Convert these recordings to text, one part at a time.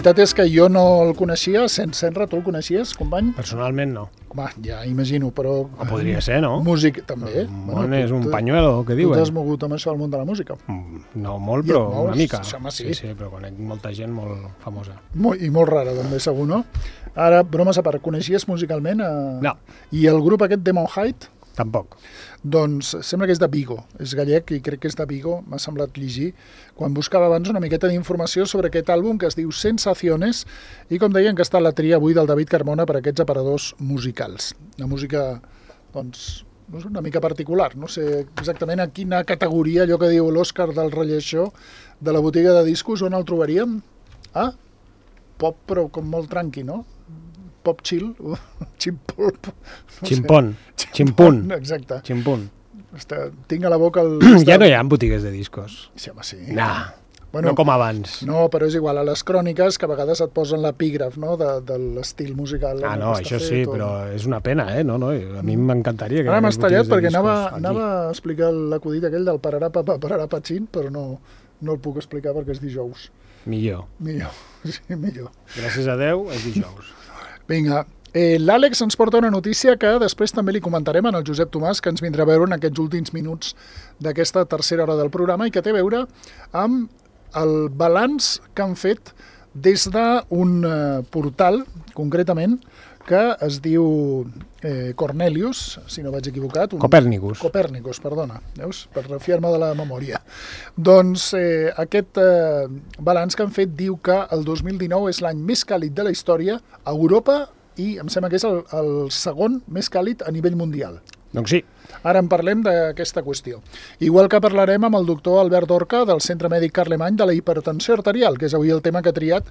veritat és que jo no el coneixia. Senra, tu el coneixies, company? Personalment no. Home, ja imagino, però... O podria ser, no? Músic, també. El món és un pañuelo, què diuen? Tu t'has mogut amb això al món de la música? No molt, però una mica. Sí, però conec molta gent molt famosa. I molt rara, també, segur, no? Ara, bromes a part, coneixies musicalment? No. I el grup aquest, Demon Height? Tampoc. Doncs sembla que és de Vigo, és gallec i crec que és de Vigo, m'ha semblat llegir, quan buscava abans una miqueta d'informació sobre aquest àlbum que es diu Sensaciones i com deien que està la tria avui del David Carmona per aquests aparadors musicals. Una música, doncs, una mica particular, no sé exactament a quina categoria, allò que diu l'Òscar del relleixó de la botiga de discos, on el trobaríem? Ah, pop però com molt tranqui, no? Pop chill, ximpolp... Ximpon, ximpun. Exacte. Ximpun. Tinc a la boca el... Ja no hi ha botigues de discos. Sí, home, sí. Nah, no com abans. No, però és igual, a les cròniques que a vegades et posen l'epígraf, no?, de l'estil musical. Ah, no, això sí, però és una pena, eh? No, a mi m'encantaria que... Ara m'has tallat perquè anava a explicar l'acudit aquell del pararà papa, pararà patxin, però no el puc explicar perquè és dijous. Millor. Sí, millor. Gràcies a Déu, és dijous. Vinga, l'Àlex ens porta una notícia que després també li comentarem al Josep Tomàs, que ens vindrà a veure en aquests últims minuts d'aquesta tercera hora del programa i que té a veure amb el balanç que han fet des d'un portal, concretament, que es diu Cornelius, si no vaig equivocat. Copèrnicus, perdona, veus? Per refiar-me de la memòria. Doncs aquest balanç que han fet diu que el 2019 és l'any més càlid de la història a Europa i em sembla que és el segon més càlid a nivell mundial. Doncs sí. Ara en parlem d'aquesta qüestió. Igual que parlarem amb el doctor Albert Dorca del Centre Mèdic Carlemany de la hipertensió arterial, que és avui el tema que ha triat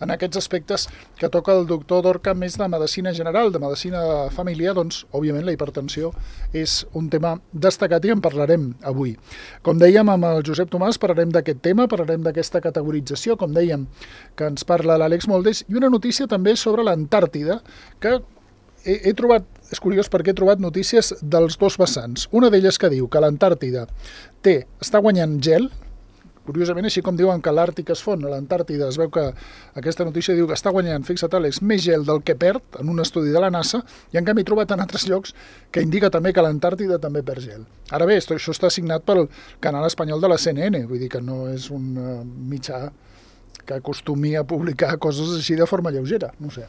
en aquests aspectes que toca el doctor Dorca, més de medicina general, de medicina de família, doncs, òbviament, la hipertensió és un tema destacat i en parlarem avui. Com dèiem, amb el Josep Tomàs parlarem d'aquest tema, parlarem d'aquesta categorització, com dèiem, que ens parla l'Àlex Moldes, i una notícia també sobre l'Antàrtida, que he trobat, és curiós perquè he trobat notícies dels dos vessants. Una d'elles que diu que l'Antàrtida està guanyant gel, curiosament així com diuen que l'Àrtic es fon, a l'Antàrtida es veu que aquesta notícia diu que està guanyant, fixa't Àlex, més gel del que perd en un estudi de la NASA, i en canvi he trobat en altres llocs que indica també que l'Antàrtida també perd gel. Ara bé, això està signat pel canal espanyol de la CNN, vull dir que no és un mitjà que acostumi a publicar coses així de forma lleugera, no sé.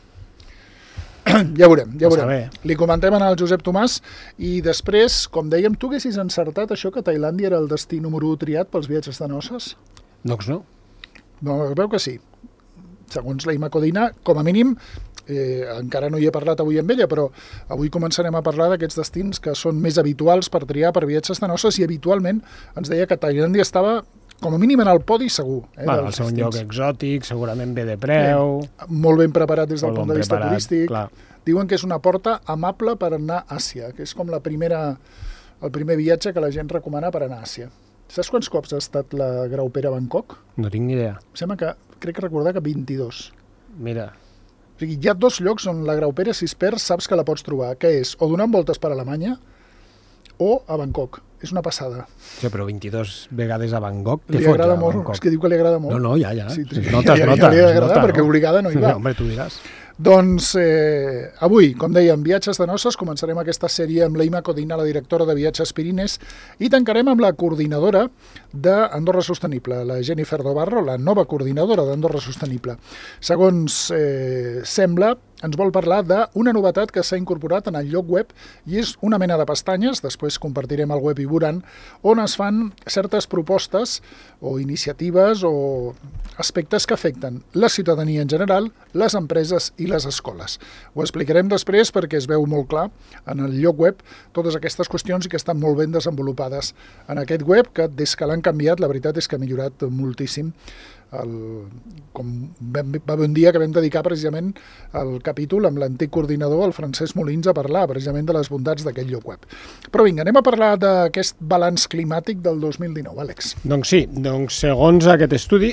Ja veurem. Li comentem al Josep Tomàs i després, com dèiem, tu haguessis encertat això que Tailàndia era el destí número 1 triat pels viatges de noces? Doncs no. No, veu que sí. Segons la Ima Codina, com a mínim, encara no hi he parlat avui amb ella, però avui començarem a parlar d'aquests destins que són més habituals per triar per viatges de noces i habitualment ens deia que Tailàndia estava com a mínim en el podi segur. El seu lloc exòtic, segurament bé de preu... Molt ben preparat des del punt de vista turístic. Clar. Diuen que és una porta amable per anar a Àsia, que és com el primer viatge que la gent recomana per anar a Àsia. Saps quants cops ha estat la graupera a Bangkok? No tinc ni idea. Em sembla que, crec recordar que 22. Mira. O sigui, hi ha dos llocs on la graupera, si es perd, saps que la pots trobar, que és o donant voltes per Alemanya o a Bangkok. És una passada. Sí, però 22 vegades a Bangkok, què fots? Li agrada molt, és que diu que li agrada molt. No, ja. Sí, nota. Ja li agrada perquè obligada no hi va. Home, tu diràs. Doncs avui, com dèiem, viatges de noces, començarem aquesta sèrie amb la Ima Codina, la directora de Viatges Pirines, i tancarem amb la coordinadora d'Andorra Sostenible, la Jennifer Dobarro, la nova coordinadora d'Andorra Sostenible. Segons sembla, ens vol parlar d'una novetat que s'ha incorporat en el lloc web i és una mena de pestanyes, després compartirem el web i veuran, on es fan certes propostes o iniciatives o aspectes que afecten la ciutadania en general, les empreses i les escoles. Ho explicarem després perquè es veu molt clar en el lloc web totes aquestes qüestions i que estan molt ben desenvolupades en aquest web, que des que l'han canviat, la veritat és que ha millorat moltíssim. Com va haver un dia que vam dedicar precisament el capítol amb l'antic coordinador, el Francesc Molins, a parlar precisament de les bondats d'aquest lloc web. Però vinga, anem a parlar d'aquest balanç climàtic del 2019, Àlex. Doncs sí, segons aquest estudi,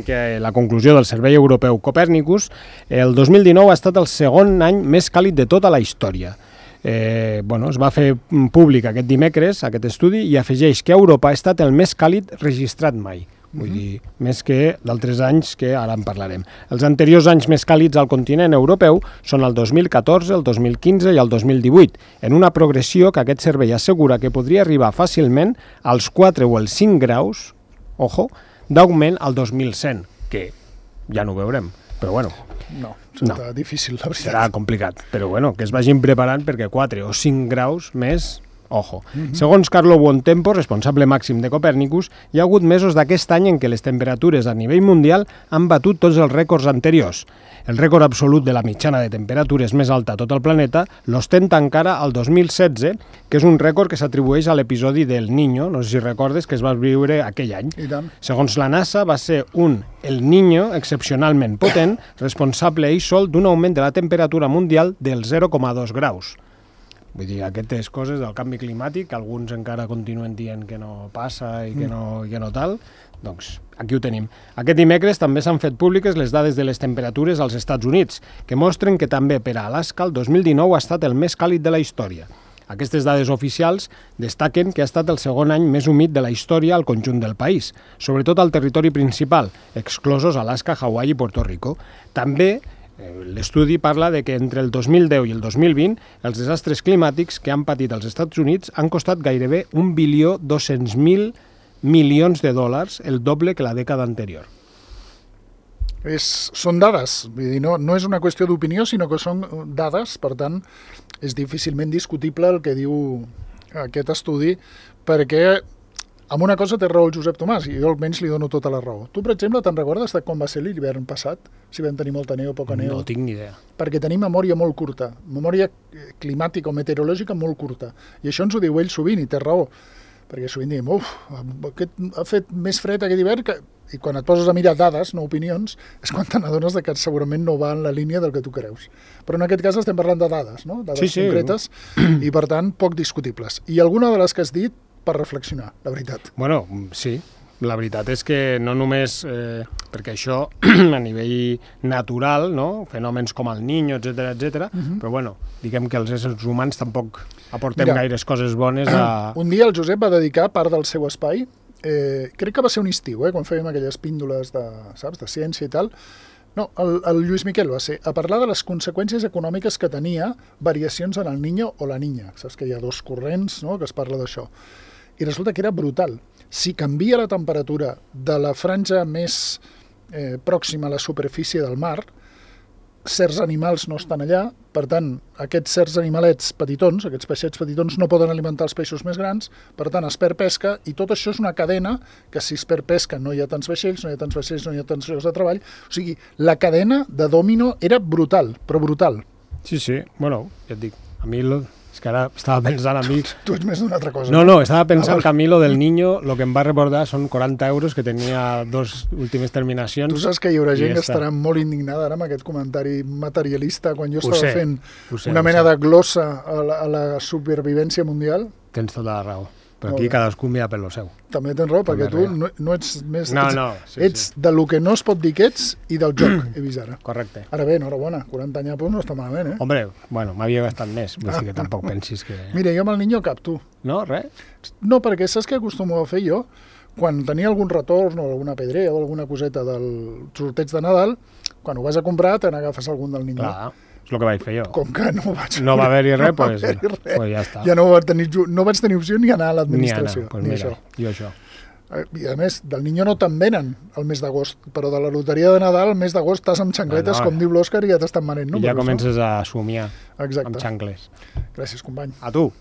que la conclusió del Servei Europeu Copèrnicus, el 2019 ha estat el segon any més càlid de tota la història. Es va fer públic aquest dimecres, aquest estudi, i afegeix que Europa ha estat el més càlid registrat mai. vull dir, més que d'altres anys que ara en parlarem. Els anteriors anys més càlids al continent europeu són el 2014, el 2015 i el 2018, en una progressió que aquest servei assegura que podria arribar fàcilment als 4 o els 5 graus, ojo, d'augment al 2100, que ja no ho veurem, però bueno. No, serà difícil, la veritat. Serà complicat, però bueno, que es vagin preparant perquè 4 o 5 graus més, ojo. Segons Carlo Buontempo, responsable màxim de Copèrnicus, hi ha hagut mesos d'aquest any en què les temperatures a nivell mundial han batut tots els rècords anteriors. El rècord absolut de la mitjana de temperatures més alta a tot el planeta l'ostenta encara el 2016, que és un rècord que s'atribueix a l'episodi del Niño, no sé si recordes, que es va viure aquell any. I tant. Segons la NASA, va ser El Niño excepcionalment potent, responsable ell sol d'un augment de la temperatura mundial del 0,2 graus. Vull dir, aquestes coses del canvi climàtic, que alguns encara continuen dient que no passa i que no tal, doncs aquí ho tenim. Aquest dimecres també s'han fet públiques les dades de les temperatures als Estats Units, que mostren que també per a Alaska el 2019 ha estat el més càlid de la història. Aquestes dades oficials destaquen que ha estat el segon any més humit de la història al conjunt del país, sobretot al territori principal, exclosos Alaska, Hawaii i Puerto Rico. També l'estudi parla de que entre el 2010 i el 2020 els desastres climàtics que han patit els Estats Units han costat gairebé 1.200.000 milions de dòlars, el doble que la dècada anterior. Són dades, vull dir, no és una qüestió d'opinió, sinó que són dades, per tant, és difícilment discutible el que diu aquest estudi, perquè amb una cosa té raó el Josep Tomàs, i jo almenys li dono tota la raó. Tu, per exemple, te'n recordes de com va ser l'hivern passat? Si vam tenir molta neu o poca neu? No tinc ni idea. Perquè tenim memòria molt curta, memòria climàtica o meteorològica molt curta. I això ens ho diu ell sovint, i té raó. Perquè sovint diem, ha fet més fred aquest hivern, i quan et poses a mirar dades, no opinions, és quan te n'adones que segurament no va en la línia del que tu creus. Però en aquest cas estem parlant de dades, no? Dades concretes, i per tant poc discutibles. I alguna de les que has dit per reflexionar, la veritat. Bueno, sí. La veritat és que no només, perquè això a nivell natural, no? Fenòmens com el Niño, etc, però bueno, diguem que els éssers humans tampoc aportem gaires coses bones a... Un dia el Josep va dedicar part del seu espai, crec que va ser un estiu, quan fèiem aquelles píndoles de ciència i tal. No, el Lluís Miquel va ser a parlar de les conseqüències econòmiques que tenia variacions en el Niño o la Niña. Saps que hi ha dos corrents, no?, que es parla d'això. I resulta que era brutal. Si canvia la temperatura de la franja més pròxima a la superfície del mar, certs animals no estan allà, per tant, aquests certs animalets petitons, aquests peixets petitons, no poden alimentar els peixos més grans, per tant, es perd pesca, i tot això és una cadena que si es perd pesca no hi ha tants vaixells, no hi ha tants llocs de treball. O sigui, la cadena de dòmino era brutal, però brutal. Sí, bueno, ja et dic, a mi... És que ara estava pensant a mi... Tu ets més d'una altra cosa. No, estava pensant que a mi lo del Niño, lo que em va recordar són 40 euros que tenia dos últimes terminacions. Tu saps que hi haurà gent que estarà molt indignada ara amb aquest comentari materialista quan jo estava fent una mena de glossa a la supervivència mundial? Tens tota la raó. Però aquí cadascú mira per lo seu. També tens raó, perquè tu no ets més... No, ets de lo que no es pot dir que ets i del joc, he vist ara. Correcte. Ara bé, enhorabona, 40 anyapos no està malament, eh? Hombre, bueno, m'havia gastat més, vull dir que tampoc pensis que... Mira, jo amb el Niño cap, tu. No, res? No, perquè saps què acostumo a fer jo? Quan tenia algun retorn o alguna pedrea o alguna coseta del sorteig de Nadal, quan ho vas a comprar te n'agafes algun del Niño. Clar. És el que vaig fer jo. Com que no vaig... No va haver-hi res, doncs ja està. Ja no vaig tenir opció ni anar a l'administració. Ni anar, doncs mira, jo això. I a més, del Niño no te'n venen el mes d'agost, però de la loteria de Nadal el mes d'agost estàs amb xancletes, com diu l'Òscar, i ja t'estan venent. I ja comences a somiar amb xancles. Gràcies, company. A tu.